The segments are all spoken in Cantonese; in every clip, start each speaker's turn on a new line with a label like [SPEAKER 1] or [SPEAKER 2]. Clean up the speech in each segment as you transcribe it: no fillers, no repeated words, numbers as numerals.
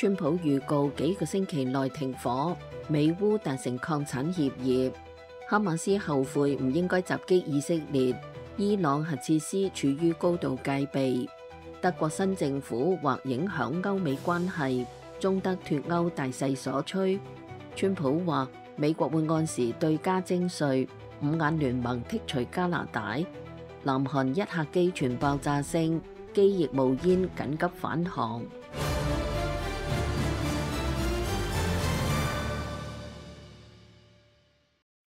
[SPEAKER 1] 川普預告幾個星期內停火，美烏達成擴產協議。哈馬斯後悔唔應該襲擊以色列。伊朗核設施處於高度戒備。德國新政府或影響歐美關係。中德脫歐大勢所趨。川普話美國會按時對加徵稅。五眼聯盟剔除加拿大。南韓一客機傳爆炸聲，機翼冒煙緊急返航。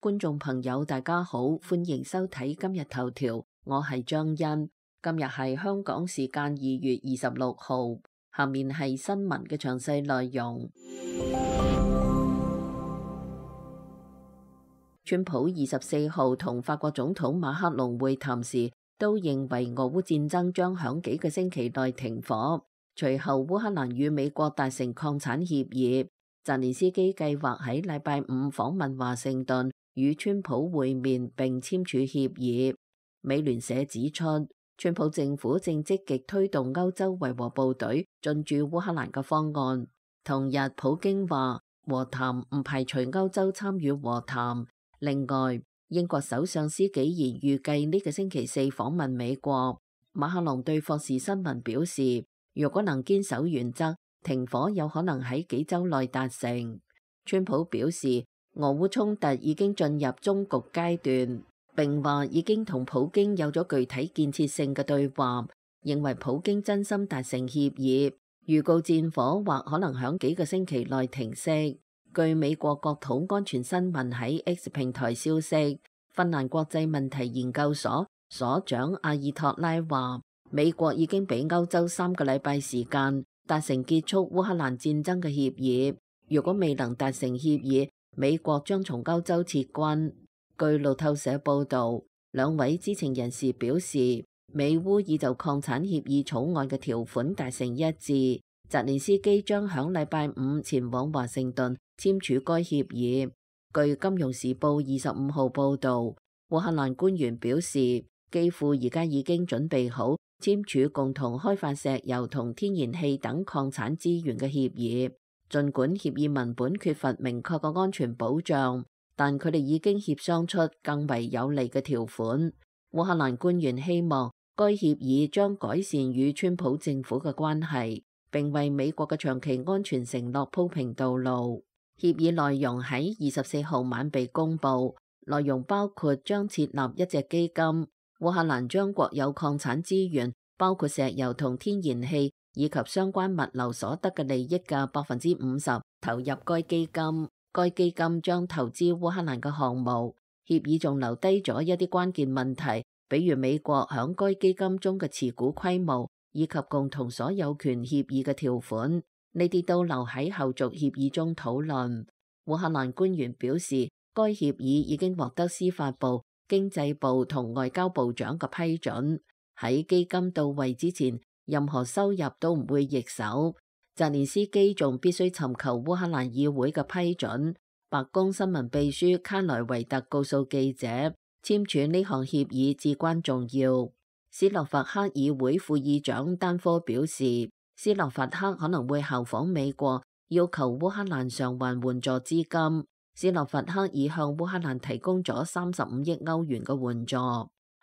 [SPEAKER 1] 觀眾朋友大家好，歡迎收睇今日頭條，我係張欣。今日係香港時間2月26號，下面係新聞嘅詳細內容。川普24號同法國總統馬克龍會談時，都認為俄烏戰爭將響幾個星期內停火。隨後烏克蘭與美國達成擴產協議，澤連斯基計劃喺禮拜五訪問華盛頓，與川普會面並簽署協議。美聯社指出，川普政府正積極推動歐洲維和部隊進駐烏克蘭嘅方案。同日，普京話和談唔排除歐洲參與和談。另外，英國首相施紀賢預計呢個星期四訪問美國。馬克龍對霍士新聞表示，如果能堅守原則，停火有可能喺幾週內達成。川普表示，俄烏衝突已經進入終局階段，並話已經同普京有咗具體建設性嘅對話，認為普京真心達成協議，預告戰火或可能響幾個星期內停息。據美國國土安全新聞喺 X 平台消息，芬蘭國際問題研究所所長阿爾托拉話，美國已經俾歐洲3個禮拜時間達成結束烏克蘭戰爭嘅協議，如果未能達成協議，美國將從歐洲撤軍。據路透社報導，兩位知情人士表示，美烏已就擴產協議草案嘅條款達成一致。澤連斯基將響禮拜五前往華盛頓簽署該協議。據金融時報25號報導，烏克蘭官員表示，基輔而家已經準備好簽署共同開發石油同天然氣等礦產資源嘅協議。儘管協議文本缺乏明確嘅安全保障，但佢哋已經協商出更為有利嘅條款。烏克蘭官員希望該協議將改善與川普政府嘅關係，並為美國嘅長期安全承諾鋪平道路。協議內容喺24號晚被公佈，內容包括將設立一隻基金，烏克蘭將國有礦產資源，包括石油同天然氣以及相關物流所得嘅利益嘅50%投入該基金。該基金將投資烏克蘭嘅項目。協議仲留低咗一啲關鍵問題，比如美國響該基金中嘅持股規模，以及共同所有權協議嘅條款，呢啲都留喺後續協議中討論。烏克蘭官員表示，該協議已經獲得司法部、經濟部同外交部長嘅批准。喺基金到位之前，任何收入都唔會易手。澤連斯基仲必須尋求烏克蘭議會嘅批准。白宮新聞秘書卡萊維特告訴記者，簽署呢項協議至關重要。斯洛伐克議會副議長丹科表示，斯洛伐克可能會效仿美國，要求烏克蘭償還援助資金。斯洛伐克已向烏克蘭提供咗35億歐元嘅援助。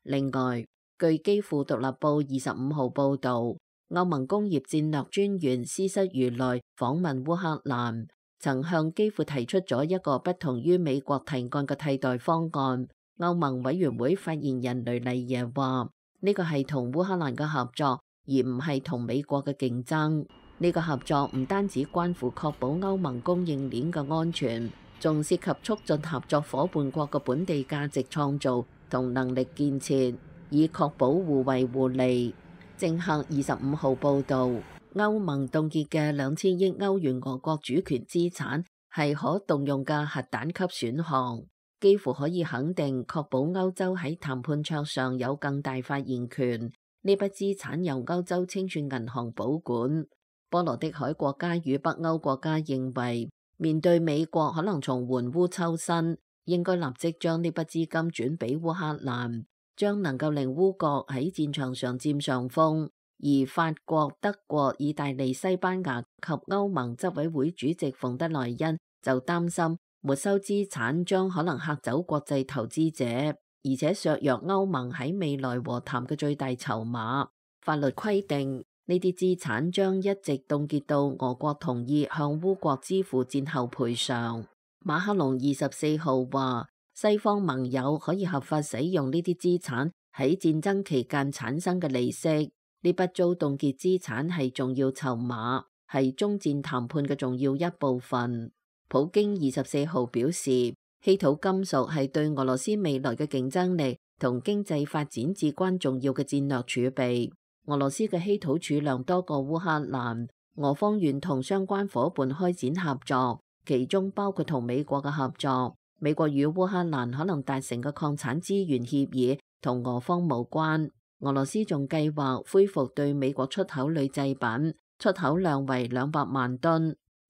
[SPEAKER 1] 另外，據基輔獨立報25號報導，歐盟工業戰略專員斯瑟茹內訪問烏克蘭，曾向基輔提出咗一個不同於美國提案嘅替代方案。歐盟委員會發言人雷利耶話，呢個係同烏克蘭嘅合作，而唔係同美國嘅競爭。呢個合作唔單止關乎確保歐盟供應鏈嘅安全，仲涉及促進合作夥伴國嘅本地價值創造同能力建設，以確保互惠互利。政客25號報導，歐盟凍結嘅2000億歐元俄國主權資產係可動用嘅核彈級選項，幾乎可以肯定確保歐洲喺談判桌上有更大發言權。呢筆資產由歐洲清算銀行保管。波羅的海國家與北歐國家認為，面對美國可能從援烏抽身，應該立即將呢筆資金轉俾烏克蘭，將能夠令烏國喺戰場上佔上風。而法國、德國、意大利、西班牙及歐盟執委會主席馮德萊恩就擔心沒收資產將可能嚇走國際投資者，而且削弱歐盟喺未來和談嘅最大籌碼。法律規定呢啲資產將一直凍結到俄國同意向烏國支付戰後賠償。馬克龍24號話，西方盟友可以合法使用呢啲資產喺戰爭期間產生嘅利息。呢筆遭凍結資產係重要籌碼，係終戰談判嘅重要一部分。普京24號表示，稀土金屬係對俄羅斯未來嘅競爭力同經濟發展至關重要嘅戰略儲備。俄羅斯嘅稀土儲量多過烏克蘭，俄方願同相關夥伴開展合作，其中包括同美國嘅合作。美國與烏克蘭可能達成嘅礦產資源協議同俄方無關。俄羅斯仲計劃恢復對美國出口鋁製品，出口量為200萬噸，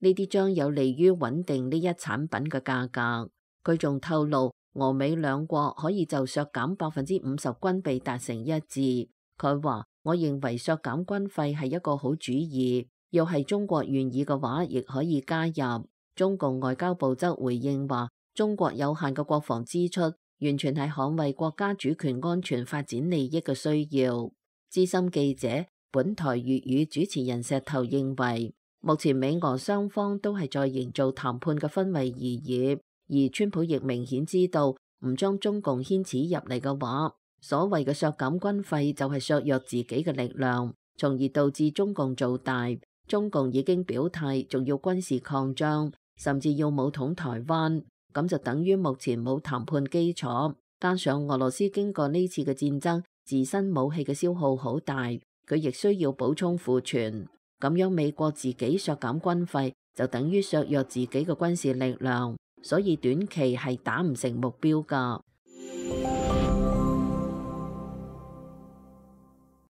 [SPEAKER 1] 呢啲將有利於穩定呢一產品嘅價格。佢仲透露，俄美兩國可以就削減50%軍備達成一致。佢話：我認為削減軍費係一個好主意，要係中國願意嘅話，亦可以加入。中共外交部則回應話：中國有限嘅國防支出完全係捍衛國家主權安全發展利益嘅需要。資深記者本台粵語主持人石頭認為，目前美俄雙方都係在營造談判嘅氛圍而已，而川普亦明顯知道唔將中共牽扯入嚟嘅話，所謂嘅削減軍費就係削弱自己嘅力量，從而導致中共做大。中共已經表態，仲要軍事擴張，甚至要武統台灣，咁就等於目前冇談判基礎。加上俄羅斯經過呢次嘅戰爭，自身武器嘅消耗好大，佢亦需要補充庫存。咁樣美國自己削減軍費，就等於削弱自己嘅軍事力量，所以短期係打唔成目標㗎。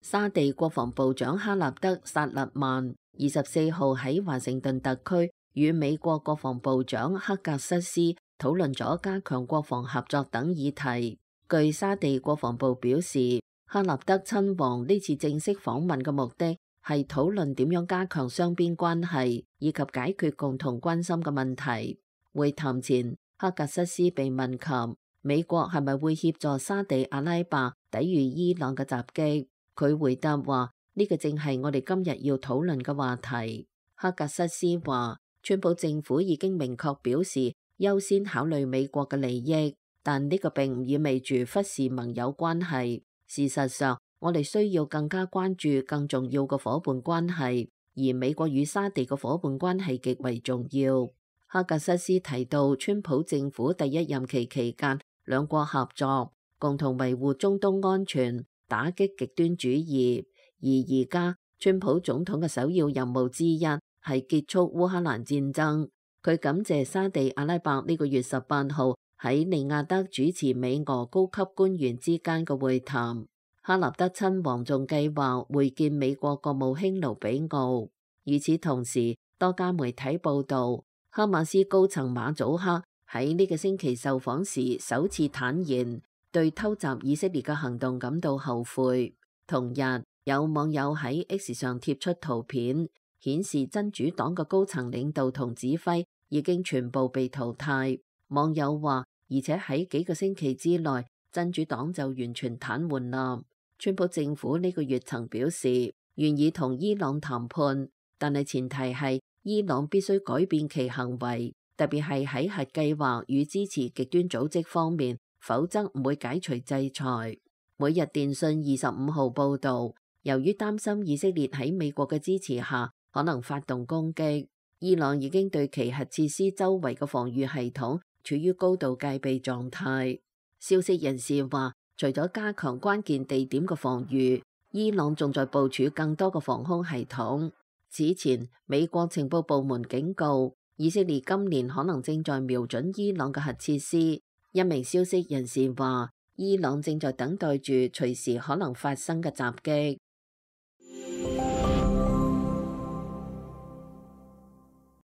[SPEAKER 1] 沙地國防部長哈納德·薩勒曼24號喺華盛頓特區與美國國防部長克格瑟斯討論咗加強國防合作等議題。據沙地國防部表示，哈納德親王呢次正式訪問嘅目的係討論點樣加強雙邊關係，以及解決共同關心嘅問題。會談前，克格瑟斯被問及美國係咪會協助沙地阿拉伯抵禦伊朗嘅襲擊，佢回答話：呢個正係我哋今日要討論嘅話題。克格瑟斯話：川普政府已經明確表示優先考慮美國嘅利益，但呢個並唔意味住忽視盟友關係。事實上，我哋需要更加關注更重要嘅伙伴關係，而美國與沙地嘅伙伴關係極為重要。克格瑟斯提到，川普政府第一任期期間，兩國合作，共同維護中東安全，打擊極端主義。而而家，川普總統嘅首要任務之一係結束烏克蘭戰爭。佢感謝沙地阿拉伯呢個月18號喺利雅得主持美俄高級官員之間嘅會談。哈納德親王仲計劃會見美國國務卿盧比奧。與此同時，多家媒體報道，哈馬斯高層馬祖克喺呢個星期受訪時首次坦言對偷襲以色列嘅行動感到後悔。同日，有網友喺 X 上貼出圖片，顯示真主黨嘅高層領導同指揮已經全部被淘汰。網友話，而且喺幾個星期之內，真主黨就完全癱瘓啦。川普政府呢個月曾表示願意同伊朗談判，但係前提係伊朗必須改變其行為，特別係喺核計劃與支持極端組織方面，否則唔會解除制裁。每日電訊25號報導，由於擔心以色列喺美國嘅支持下可能發動攻擊，伊朗已經對其核設施周圍嘅防禦系統處於高度戒備狀態。消息人士話，除咗加強關鍵地點嘅防禦，伊朗仲在部署更多嘅防空系統。此前，美國情報部門警告，以色列今年可能正在瞄準伊朗嘅核設施。一名消息人士話，伊朗正在等待住隨時可能發生嘅襲擊。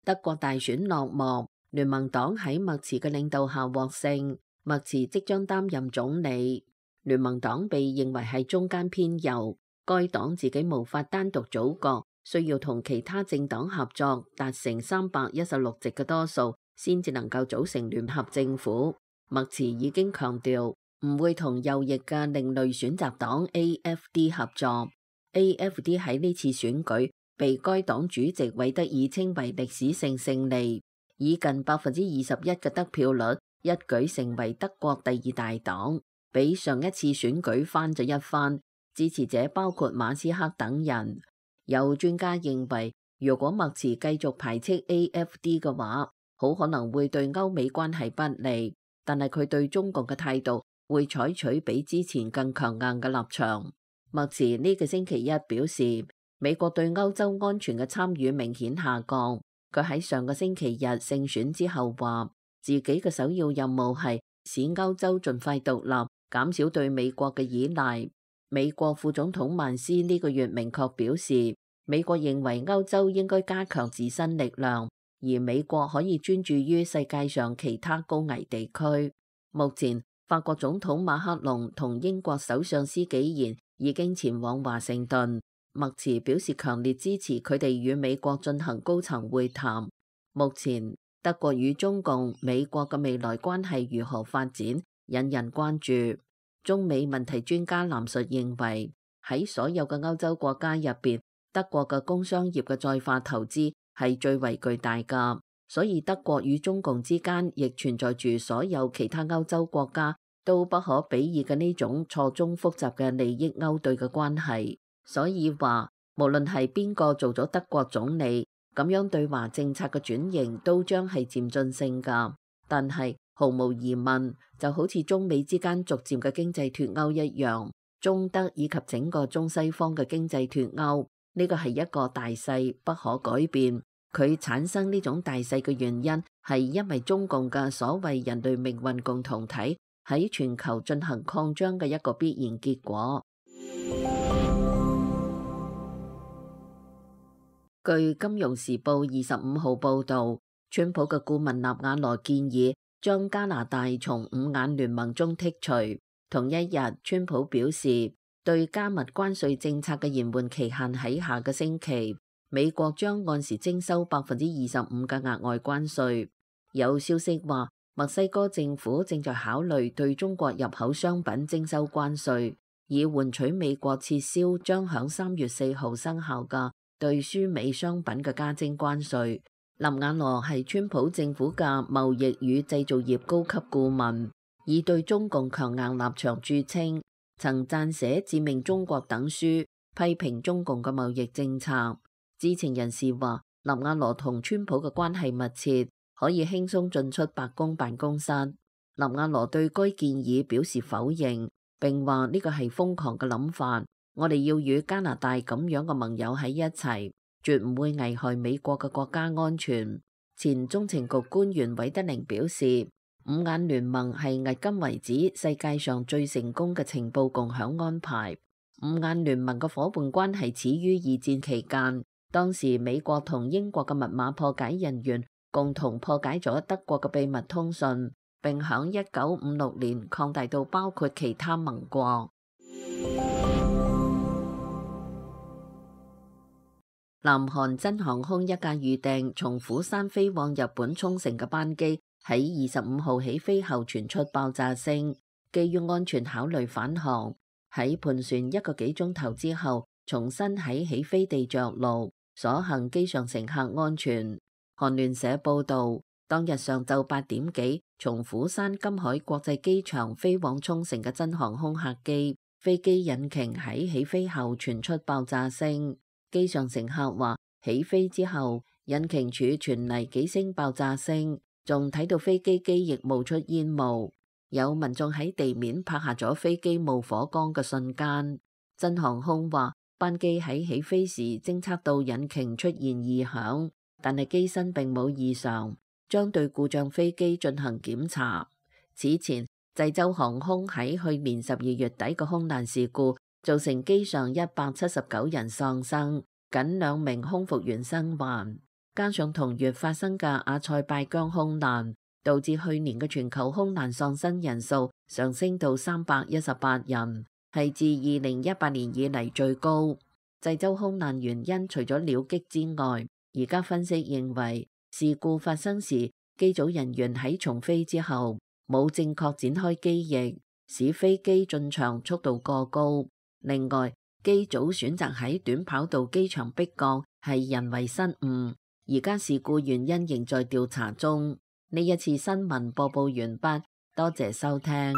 [SPEAKER 1] 德國大選落幕，聯盟黨喺默茨嘅領導下獲勝，默茨即將擔任總理。聯盟黨被認為係中間偏右，該黨自己無法單獨組閣，需要同其他政黨合作，達成316席嘅多數，先至能夠組成聯合政府。麥茨已經強調唔會同右翼嘅另類選擇黨 AFD 合作。AFD 喺呢次選舉被該黨主席韋德爾稱為歷史性勝利，以近21%嘅得票率，一舉成為德國第2大黨，比上一次選舉翻咗一番。支持者包括馬斯克等人。有專家認為，如果麥茨繼續排斥 AFD 嘅話，好可能會對歐美關係不利。但係佢對中共嘅態度會採取比之前更強硬嘅立場。麥茨呢個星期一表示，美國對歐洲安全嘅參與明顯下降。佢喺上個星期日勝選之後話，自己嘅首要任務係使歐洲盡快獨立，減少對美國嘅依賴。美國副總統曼斯呢個月明確表示，美國認為歐洲應該加強自身力量，而美國可以專注於世界上其他高危地區。目前，法國總統馬克龍同英國首相施紀賢已經前往華盛頓。麥茨表示強烈支持佢哋與美國進行高層會談。目前，德國與中共、美國嘅未來關係如何發展，引人關注。中美問題專家藍述認為，喺所有嘅歐洲國家入邊，德國嘅工商業嘅在華投資係最為巨大㗎，所以德國與中共之間亦存在住所有其他歐洲國家都不可比擬嘅呢種錯綜複雜嘅利益勾兌嘅關係。所以話，無論係邊個做咗德國總理，咁樣對華政策嘅轉型都將係漸進性㗎。但係毫無疑問，就好似中美之間逐漸嘅經濟脫鈎一樣，中德以及整個中西方嘅經濟脫鈎，呢個係一個大勢不可改變。佢產生呢種大勢嘅原因係因為中共嘅所謂人類命運共同體喺全球進行擴張嘅一個必然結果。據《金融時報》25號報導，川普嘅顧問納瓦羅建議將加拿大從五眼聯盟中剔除。同一日，川普表示，對加密關稅政策嘅延緩期限喺下個星期，美國將按時徵收25%嘅額外關稅。有消息話，墨西哥政府正在考慮對中國入口商品徵收關稅，以換取美國撤銷將響3月4號生效嘅對輸美商品嘅加徵關稅。納瓦羅係川普政府嘅貿易與製造業高級顧問，以對中共強硬立場著稱，曾撰寫《致命中國》等書，批評中共嘅貿易政策。知情人士話，納瓦羅同川普嘅關係密切，可以輕鬆進出白宮辦公室。納瓦羅對該建議表示否認，並話呢個係瘋狂嘅諗法。我哋要與加拿大咁樣嘅盟友喺一齊，絕唔會危害美國嘅國家安全。前中情局官員韋德寧表示，五眼聯盟係迄今為止世界上最成功嘅情報共享安排。五眼聯盟嘅伙伴關係始於二戰期間，當時美國同英國嘅密碼破解人員共同破解咗德國嘅秘密通訊，並響1956年擴大到包括其他盟國。南韓真航空一架預訂從釜山飛往日本沖繩嘅班機喺25號起飛後傳出爆炸聲，基於安全考慮返航，喺盤旋1個幾鐘頭之後重新喺起飛地着陸，所幸機上乘客安全。韓聯社報導，當日上晝8點幾從釜山金海國際機場飛往沖繩嘅真航空客機，飛機引擎喺起飛後傳出爆炸聲。機上乘客話，起飛之後引擎處傳嚟幾聲爆炸聲，仲睇到飛機機翼冒出煙霧。有民眾喺地面拍下咗飛機冒火光嘅瞬間。真航空話，班機喺起飛時偵測到引擎出現異響，但係機身並冇異常，將對故障飛機進行檢查。此前，濟州航空喺去年12月底嘅空難事故造成機上179人喪生，僅2名空服員生還。加上同月發生嘅阿塞拜疆空難，導致去年嘅全球空難喪生人數上升到318人，係自2018年以嚟最高。濟州空難原因除咗僚機之外，而家分析認為事故發生時機組人員喺重飛之後冇正確展開機翼，使飛機進場速度過高。另外，機組選擇喺短跑道機場迫降係人為失誤。而家事故原因仍在調查中。呢一次新聞播報完畢，多謝收聽。